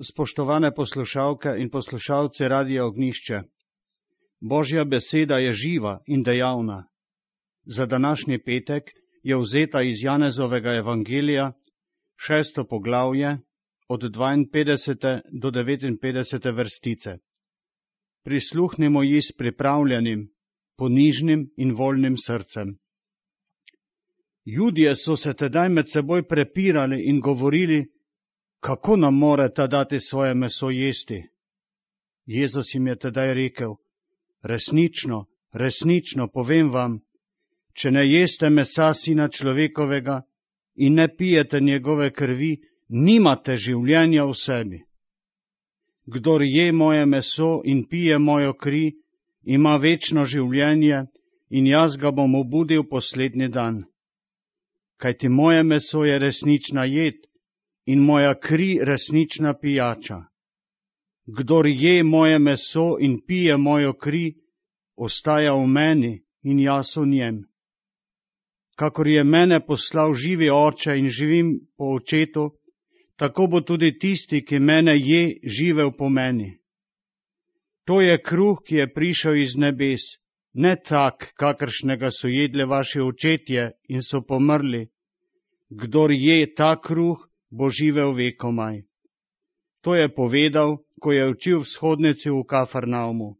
Spoštovane poslušalke in poslušalci Radia Ognjišče. Božja beseda je živa in dejavna. Za današnji petek je vzeta iz Janezovega evangelija, 6. poglavje, od 52. do 59. vrstice. Prisluhnimo ji s pripravljenim, ponižnim in voljnim srcem. Judje so se tedaj med seboj prepirali in govorili, kako nam more ta dati svoje meso jesti? Jezus jim je tedaj rekel, resnično povem vam, če ne jeste mesa Sina človekovega in ne pijete njegove krvi, nimate življenja v sebi. Kdor je moje meso in pije mojo kri, ima večno življenje in jaz ga bom obudil poslednji dan. Kajti moje meso je resnična jed in moja kri resnična pijača. Kdor je moje meso in pije mojo kri, ostaja v meni in jaz v njem. Kakor je mene poslal živi Oče in živim po Očetu, tako bo tudi tisti, ki mene je, živel po meni. To je kruh, ki je prišel iz nebes, ne tak, kakršnega so jedli vaši očetje in so pomrli. Kdor je ta kruh, bo živel vekomaj. To je povedal, ko je učil v shodnici v Kafarnaumu.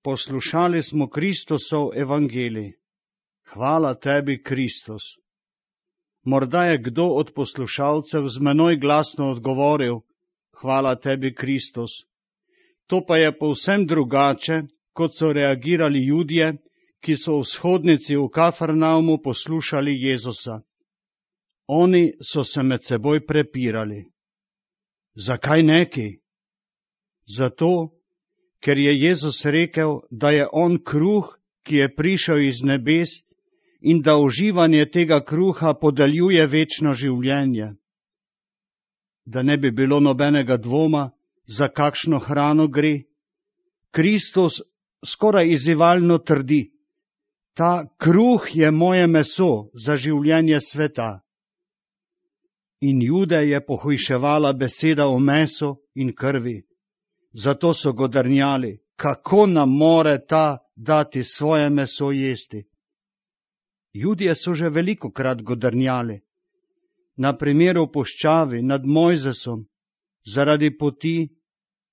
Poslušali smo Kristusov evangelij. Hvala tebi, Kristus. Morda je kdo od poslušalcev z menoj glasno odgovoril, hvala tebi, Kristus. To pa je povsem drugače, kot so reagirali Judje, ki so v shodnici v Kafarnaumu poslušali Jezusa. Oni so se med seboj prepirali. Zakaj neki? Zato, ker je Jezus rekel, da je on kruh, ki je prišel iz nebes in da uživanje tega kruha podeljuje večno življenje. Da ne bi bilo nobenega dvoma, za kakšno hrano gre, Kristus skoraj izzivalno trdi, ta kruh je moje meso za življenje sveta. In Jude je pohujševala beseda o mesu in krvi. Zato so godrnjali, kako nam more ta dati svoje meso jesti. Judje so že velikokrat godrnjali. Na primer v puščavi nad Mojzesom, zaradi poti,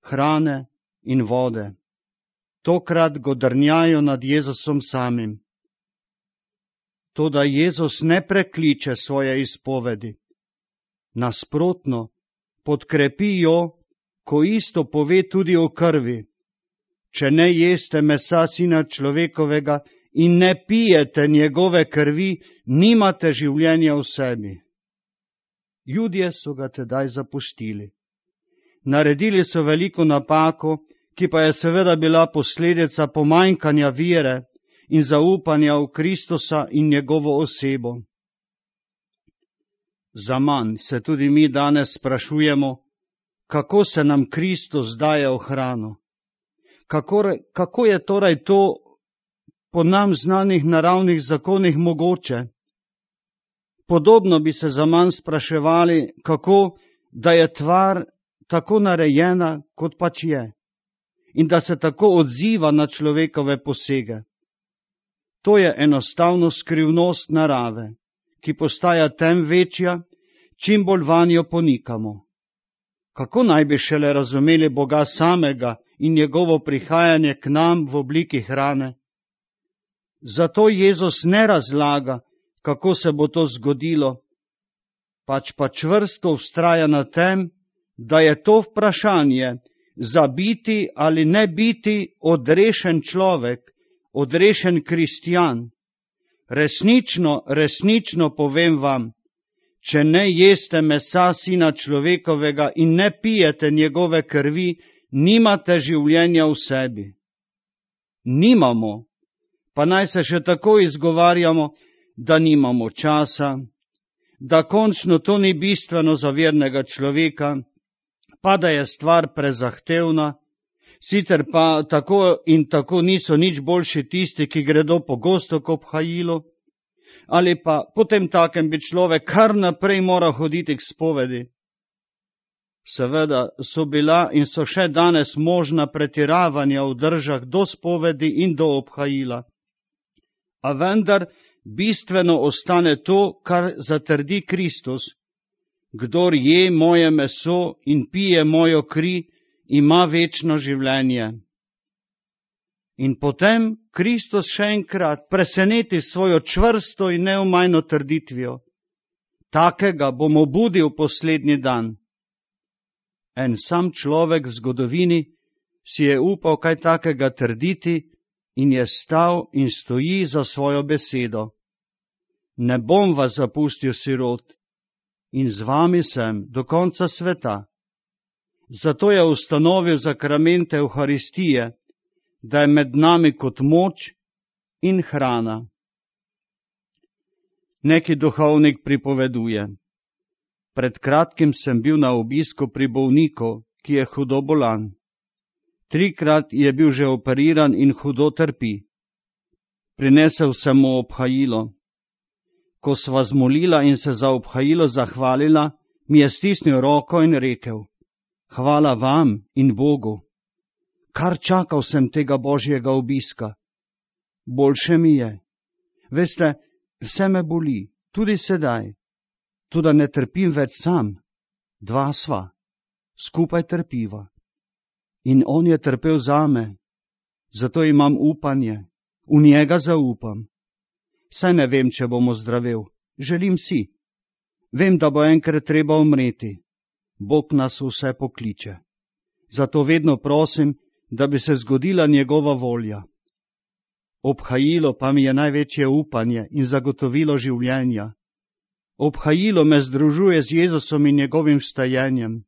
hrane in vode. Tokrat godrnjajo nad Jezusom samim. Toda Jezus ne prekliče svoje izpovedi. Nasprotno, podkrepi jo, ko isto pove tudi o krvi. Če ne jeste mesa Sina človekovega in ne pijete njegove krvi, nimate življenja v sebi. Judje so ga tedaj zapustili. Naredili so veliko napako, ki pa je seveda bila posledica pomanjkanja vere in zaupanja v Kristusa in njegovo osebo. Zaman se tudi mi danes sprašujemo, kako se nam Kristus daje v hrano. Kako je torej to po nam znanih naravnih zakonih mogoče? Podobno bi se zaman spraševali, kako da je tvar tako narejena, kot pač je, in da se tako odziva na človekove posege. To je enostavno skrivnost narave, ki postaja tem večja, čim bolj vanjo ponikamo. Kako naj bi šele razumeli Boga samega in njegovo prihajanje k nam v obliki hrane? Zato Jezus ne razlaga, kako se bo to zgodilo, pač pa čvrsto vztraja na tem, da je to vprašanje za biti ali ne biti odrešen človek, odrešen kristjan. Resnično povem vam, če ne jeste mesa Sina človekovega in ne pijete njegove krvi, nimate življenja v sebi. Nimamo, pa naj se še tako izgovarjamo, da nimamo časa, da končno to ni bistveno za vernega človeka, pa da je stvar prezahtevna, sicer pa tako in tako niso nič boljši tisti, ki gredo pogosto k obhajilu, ali pa potem takem bi človek kar naprej mora hoditi k spovedi. Seveda so bila in so še danes možna pretiravanja v držah do spovedi in do obhajila. A vendar bistveno ostane to, kar zatrdi Kristus. Kdor je moje meso in pije mojo kri, ima večno življenje. In potem Kristus še enkrat preseneti svojo čvrsto in neomajno trditvijo. Takega bom obudil poslednji dan. En sam človek v zgodovini si je upal kaj takega trditi in je stal in stoji za svojo besedo. Ne bom vas zapustil sirot in z vami sem do konca sveta. Zato je ustanovil zakramente Evharistije, da je med nami kot moč in hrana. Neki duhovnik pripoveduje. Pred kratkim sem bil na obisku pri bolniku, ki je hudo bolan. 3-krat je bil že operiran in hudo trpi. Prinesel sem mu obhajilo. Ko sva zmolila in se za obhajilo zahvalila, mi je stisnil roko in rekel: Hvala vam in Bogu. Kar čakal sem tega božjega obiska. Boljše mi je. Veste, vse me boli, tudi sedaj. Toda ne trpim več sam, 2 sva, skupaj trpiva. In on je trpel zame, zato imam upanje, v njega zaupam. Saj ne vem, če bom ozdravel, želim si. Vem, da bo enkrat treba umreti. Bog nas vse pokliče. Zato vedno prosim, da bi se zgodila njegova volja. Obhajilo pa mi je največje upanje in zagotovilo življenja. Obhajilo me združuje z Jezusom in njegovim vstajenjem.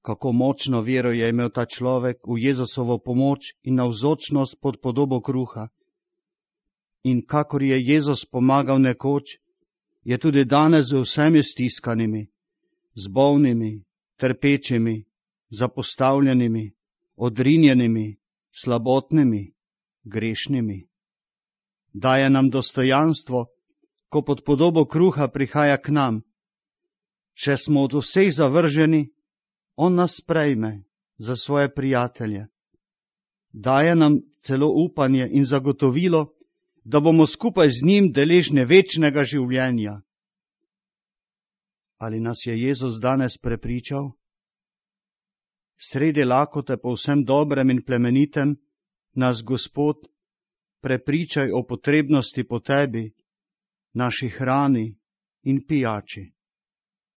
Kako močno vero je imel ta človek v Jezusovo pomoč in navzočnost pod podobo kruha. In kakor je Jezus pomagal nekoč, je tudi danes z vsemi stiskanimi, z bolnimi, trpečimi, zapostavljenimi, odrinjenimi, slabotnimi, grešnimi. Daje nam dostojanstvo, ko pod podobo kruha prihaja k nam. Če smo od vseh zavrženi, on nas sprejme za svoje prijatelje. Daje nam celo upanje in zagotovilo, da bomo skupaj z njim deležni večnega življenja. Ali nas je Jezus danes prepričal? Sredi lakote po vsem dobrem in plemenitem nas Gospod prepričaj o potrebnosti po tebi, naši hrani in pijači.